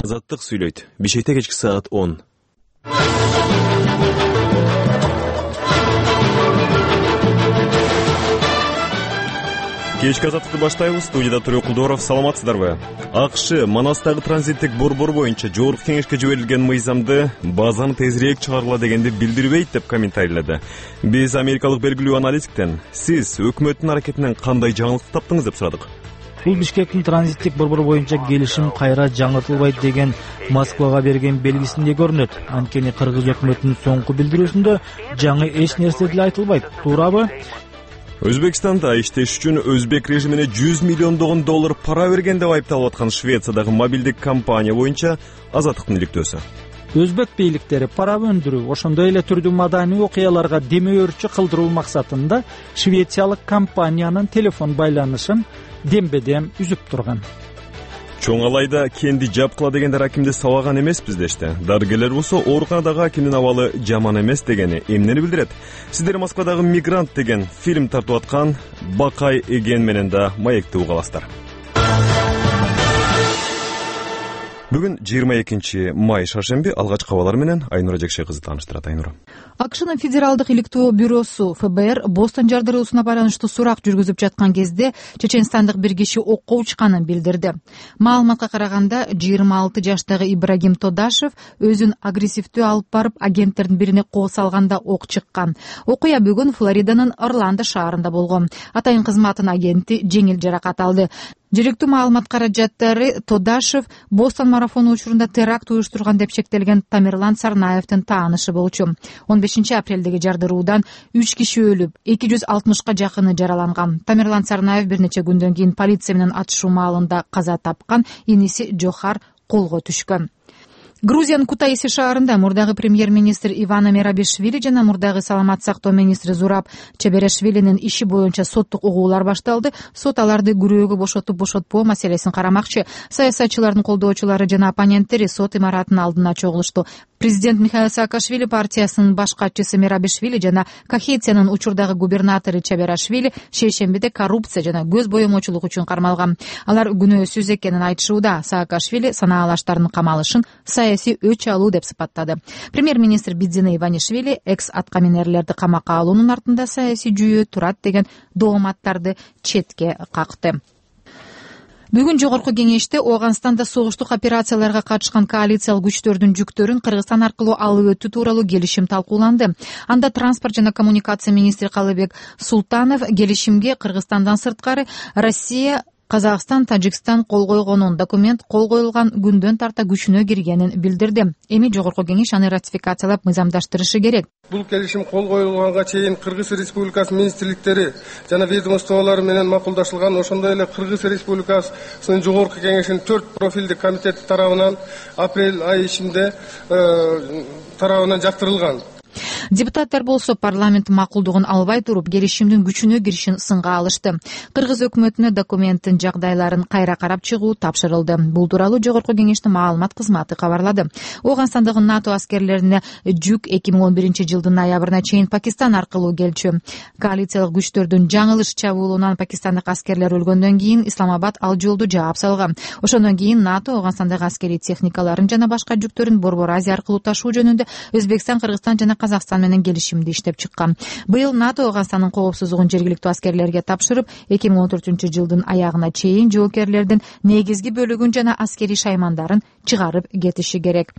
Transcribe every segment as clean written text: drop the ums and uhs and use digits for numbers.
Азаттык сүйлөйт. Бишкекте кечки саат 10. Кечки азаттыкты баштайбыз. Студияда Тургул Кулдоров. Саламатсыздарбы? АКШ Манастагы транзиттик борбор боюнча жогорку кеңешке жиберилген мыйзамды базаны тезирээк чыгаргыла дегенди билдирбейт деп комментарийледи. Биз америкалык белгилүү аналитиктен сиз өкмөттүн аракетинен кандай жаңылык таптыңыз деп сурадык. Бул Бишкектин транзиттик борбор боюнча келишим кайра жаңыртылбайт деген Москвага берген белгисинде көрүнөт. Анткени кыргыз өкмөтүнүн соңку билдирүүсүндө жаңы эч нерсе деле айтылбайт. Туурабы? Өзбекстанда иштеш үчүн өзбек режимине 100 миллиондогон доллар пара берген деп айыпталып аткан Швециядагы мобилдик компания боюнча азаттыктын иликтөөсү. Өзбек бийликтери пара өндүрүү, ошондой эле түрдүү маданий окуяларга демөөрчү кылдыруу максатында швециялык компаниянын телефон байланышын дембедем үзүп турган. Чоң алайда кенди жапкыла дегендер акимди сабаган эмеспиз дешти. Дарыгерлер болсо ооруканадагы акимдин абалы жаман эмес дегени эмнени билдирет? Сиздер Москвадагы «Мигрант» деген фильм тартып аткан Бакай Эген менен да маекти уга аласыздар. Бүгүн 22 май шаршемби. Алгачкы кабарлар менен Айнура Жекше кызы тааныштырат. Айнура. АКШнын Федералдык иликтөө бюросу ФБР Бостон жардыруусуна байланыштуу сурак жүргүзүп жаткан кезде чеченстандык бир киши окко учканын билдирди. Маалыматка караганда 26 жаштагы Ибрагим Тодашев өзүн агрессивдүү алып барып агенттердин бирине кол салганда ок чыккан. Окуя бүгүн Флориданын Орландо шаарында болгон. Атайын кызматтын агенти жеңил жаракат алды. Жергиликтүү маалымат каражаттары Тодашев Бостон марафону учурунда теракт уюштурган деп шектелген Тамерлан Сарнаевдин таанышы болчу. 15 апрелдеги жардыруудан 3 киши өлүп, 260ка жакыны жараланган. Тамерлан Сарнаев бир нече күндөн кийин полиция менен атышуу маалында каза тапкан, иниси Жохар колго түшкөн. Грузиянын Кутаиси шаарында мурдагы премьер-министр Ивана Мерабишвили жана мурдагы саламат сактоо министри Зураб Чеберешвилинин иши боюнча соттук угуулар башталды. Сот аларды күрөөгө бошотуп бошотпоо маселесин карамакчы. Саясатчылардын колдоочулары жана оппоненттери сот имаратынын алдына чогулушту. Президент Михаил Саакашвили партиясынын баш катчысы Мерабишвили жана Кахетиянын учурдагы губернатору Чеберашвили шейшембиде коррупция жана көз боемочулук үчүн кармалган. Алар күнөөсүз экенин айтышууда. Саакашвили санаалаштардын камалышын саясий өч алуу деп сыпаттады. Премьер-министр Бидзина Иванишвили экс-аткаминерлерди камакка алуунун артында саясий жүйө турат деген дооматтарды четке какты. Бүгүн жогорку кеңеште Ооганстанда согуштук операцияларга катышкан коалициялык күчтөрдүн жүктөрүн Кыргызстан аркылуу алып өтүү тууралуу келишим талкууланды. Анда транспорт жана коммуникация министри Калыбек Султанов келишимге Кыргызстандан сырткары Россия, Казакстан, Тажикстан кол койгонун, документ кол коюлган күндөн тарта күчүнө киргенин билдирди. Эми жогорку кеңеш аны ратификациялап мыйзамдаштырышы керек. Бул келишим кол коюлганга чейин Кыргыз Республикасынын министрликтери жана ведомстволору менен макулдашылган. Ошондой эле Кыргыз Республикасынын жогорку кеңешинин 4 профилдик комитети тарабынан апрель айы ичинде тарабынан жактырылган. Депутаттар болсо парламент макулдугун албай туруп келишимдин күчүнө киришин сынга алышты. Кыргыз өкмөтүнө документтин жагдайларын кайра карап чыгуу тапшырылды. Бул тууралуу жогорку кеңештин маалымат кызматы кабарлады. Ооганстандагы НАТО аскерлерине жүк 2011 жылдын ноябрына чейин Пакистан аркылуу келчү. Коалициялык күчтөрдүн жаңылыш чабуулунан пакистандык аскерлер өлгөндөн кийин Исламабад ал жолду жаап салган. Ошондон кийин НАТО Ооганстандагы аскерий техникаларын жана башка жүктөрүн Борбор Азия аркылуу ташуу жөнүндө Өзбекстан, Кыргызстан жана Казакстан менен келишимди иштеп чыккан. Быйыл НАТО Ооганстандын коопсуздугун жергиликтүү аскерлерге тапшырып, 2014 жылдын аягына чейин жоокерлердин негизги бөлүгүн жана аскерий шаймандарын чыгарып кетиши керек.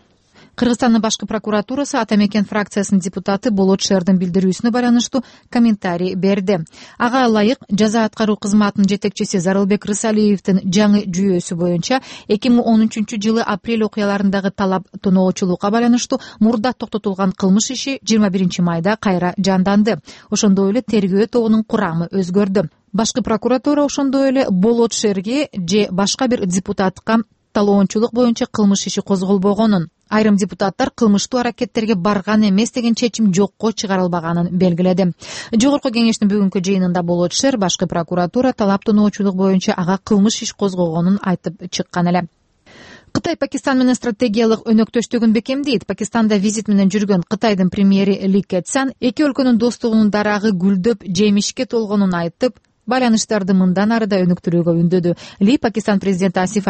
Кыргызстандын башкы прокуратурасы Ата Мекен фракциясынын депутаты Болот Шердин билдирүүсүнө байланыштуу комментарий берди. Ага ылайык жаза аткаруу кызматынын жетекчиси Зарылбек Рысалиевдин жаңы жүйөсү боюнча 2013 жылы апрель окуяларындагы талап тоноочулукка байланыштуу мурда токтотулган кылмыш иши 21 майда кайра жанданды. Ошондой эле тергөө тобунун курамы өзгөрдү. Башкы прокуратура ошондой эле Болот Шерге же башка бир депутатка талоончулук боюнча кылмыш иши козголбогонун, айрым депутаттар кылмыштуу аракеттерге барган эмес деген чечим жокко чыгарылбаганын белгиледи. Жогорку кеңештин бүгүнкү жыйынында Болот Шер башкы прокуратура талап тоноочулук боюнча ага кылмыш иш козгогонун айтып чыккан эле. Кытай Пакистан менен стратегиялык өнөктөштүгүн бекемдейт. Пакистанда визит менен жүргөн Кытайдын премьери Ли Кэцян эки өлкөнүн достугунун дарагы гүлдөп, жемишке толгонун айтып, байланыштарды мындан ары да өнүктүрүүгө үндөдү. Ли Пакистан президенти Асиф